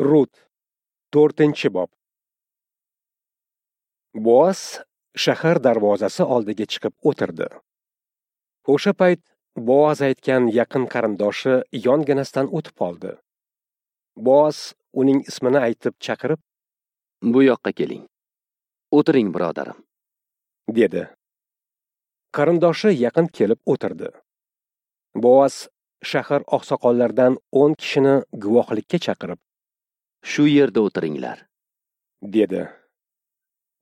Rut, 4-bob. Boaz shahar darvozasi oldiga chiqib o'tirdi. O'sha payt Boaz aytgan yaqin qarindoshi yonginasidan o'tib qoldi. Boaz uning ismini aytib chaqirib, "Bu yoqqa keling. O'tiring, birodarim," dedi. Qarindoshi yaqin kelib o'tirdi. Boaz shahar oqsoqollaridan 10 kishini guvohlikka chaqirib, "Shu yerda o'tiringlar," dedi.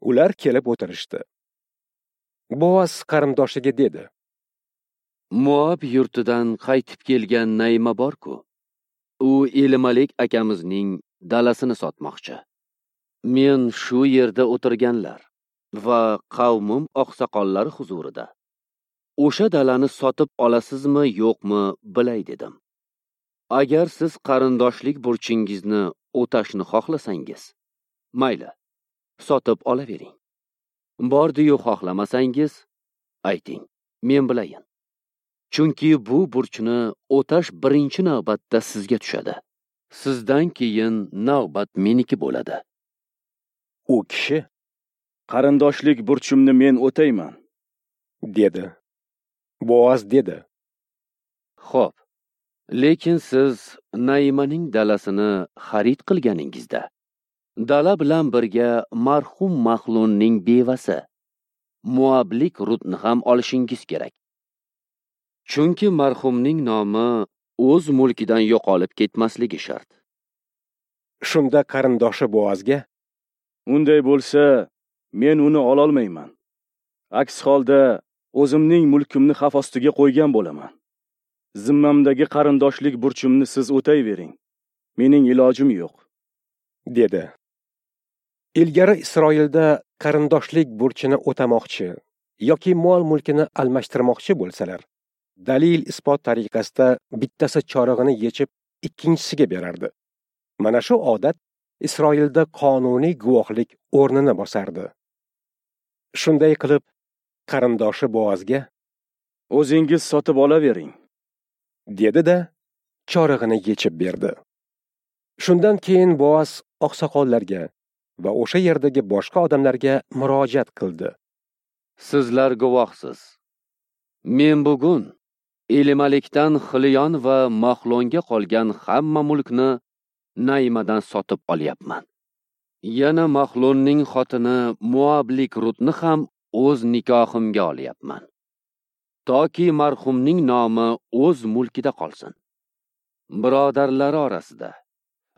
Ular kelib o'tirishdi. Boaz qarindoshiga dedi: "Moab yurtidan qaytib kelgan Naima bor-ku. U Elimalik akamizning dalasini sotmoqchi. Men shu yerda o'tirganlar va qavmim oqsoqollari huzurida o'sha dalani sotib olasizmi, yo'qmi bilay dedim. Agar siz qarindoshlik burchingizni o'tashni xohlasangiz, mayli, sotib olavering. Bordi-yu xohlamasangiz, ayting, men bilayin. Chunki bu burchni o'tash birinchi navbatda sizga tushadi. Sizdan keyin navbat meniki bo'ladi." U kishi: "Qarindoshlik burchimni men o'tayman," dedi. Boaz dedi: "Xo'p, lekin siz Naimaning dalasini xarid qilganingizda dala bilan birga marhum Mahlonning bevasi Moablik Rutni ham olishingiz kerak. Chunki marhumning nomi o'z mulkidan yo'qolib ketmasligi shart." Shunda qarindoshi Boazga: "Unday bo'lsa, men uni ololmayman. Aks holda o'zimning mulkimni xavf ostiga qo'ygan bo'laman. Zimmamdagi qarindoshlik burchimni siz o'tayvering. Mening ilojim yo'q," dedi. Ilgari Isroilda qarindoshlik burchini o'tamoqchi yoki mol-mulkini almashtirmoqchi bo'lsalar, dalil isbot tariqasida bittasi chorig'ini yechib ikkinchisiga berardi. Mana shu odat Isroilda qonuniy guvohlik o'rnini bosardi. Shunday qilib qarindoshi Boazga: "O'zingiz sotib olavering," dedi-da, chorig'ini yechib berdi. Shundan keyin Boaz oqsoqollarga va o'sha yerdagi boshqa odamlarga murojaat qildi. "Sizlar guvohsiz. Men bugun Elimalikdan Xiliyon va Mahlonga qolgan hamma mulkni Naimadan sotib olyapman. Yana Mahlonning xotini Moablik Rutni ham o'z nikohimga olyapman. Toki marhumning nomi o'z mulkida qolsin. Birodarlari orasida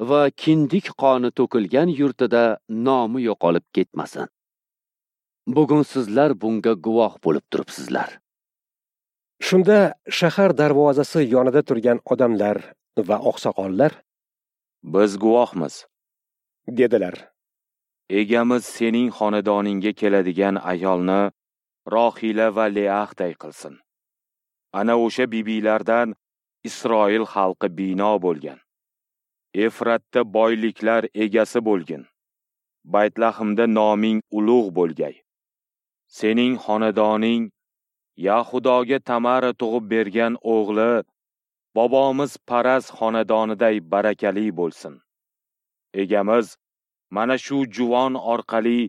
va kindik qoni to'kilgan yurtida nomi yo'qolib ketmasin. Bugun sizlar bunga guvoh bo'lib turibsizlar." Shunda shahar darvozasi yonida turgan odamlar va oqsoqollar: "Biz guvohmiz," dedilar. "Egamiz sening xonadoningga keladigan ayolni Rohila va Leahday qilsin. Ana o'sha bibilardan Isroil xalqi bino bo'lgan. Efratda boyliklar egasi bo'lgin. Baytlahimda noming ulug' bo'lgay. Sening xonadoning Yahudoga Tamara tug'ib bergan o'g'li bobomiz Paraz xonadoniday barakali bo'lsin. Egamiz mana shu juvon orqali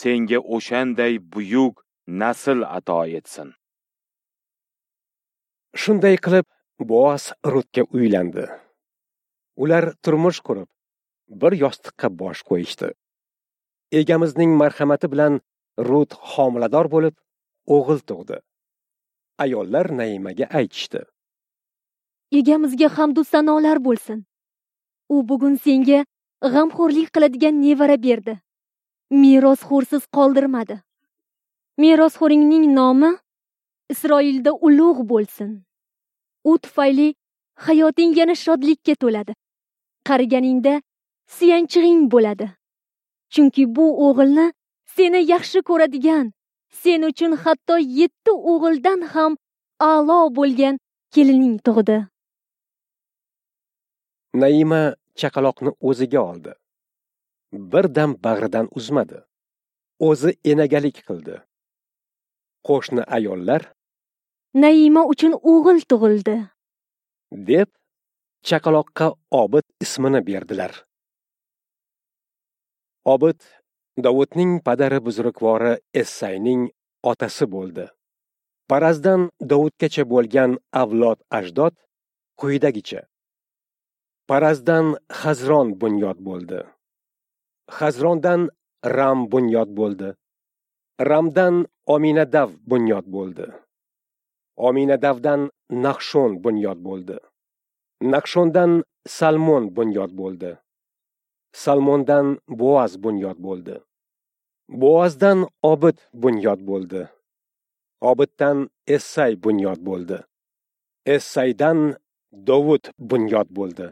senga o'shanday buyuk nasl ato etsin." Shunday qilib Boaz Rutga uylandi. Ular turmush qurib, bir yostiqqa bosh qo'yishdi. Egamizning marhamati bilan Rut homilador bo'lib, o'g'il tug'di. Ayollar Naimaga aytishdi: "Egamizga hamd u sanolar bo'lsin. U bugun senga g'amxo'rlik qiladigan nevara berdi. Merosxo'rsiz qoldirmadi. Merosxo'ringning nomi Isroilda ulug' bo'lsin. U tufayli hayoting yana shodlikka to'ladi. Qariganingda suyanchig'ing bo'ladi. Chunki bu o'g'ilni seni yaxshi ko'radigan, sen uchun hatto 7 o'g'ildan ham a'lo bo'lgan kelining tug'di." Naima chaqaloqni o'ziga oldi. Bir dam bag'ridan uzmadi. O'zi enagalik qildi. Qo'shni ayollar: "Naima uchun o'g'il tug'ildi," deb chaqaloqqa Obid ismini berdilar. Obid Dovudning padari buzrukvori Essayning otasi bo'ldi. Parazdan Dovudgacha bo'lgan avlod ajdod quyidagicha. Parazdan Xazron bunyod bo'ldi. Xazrondan Ram bunyod bo'ldi. Ramdan Ominadav bunyod bo'ldi. Ominadavdan Nahshon bunyod bo'ldi. Nahshondan Salmon bunyod bo'ldi. Salmondan Boaz bunyod bo'ldi. Boazdan Obid bunyod bo'ldi. Obiddan Essay bunyod bo'ldi. Essaydan Dovud bunyod bo'ldi.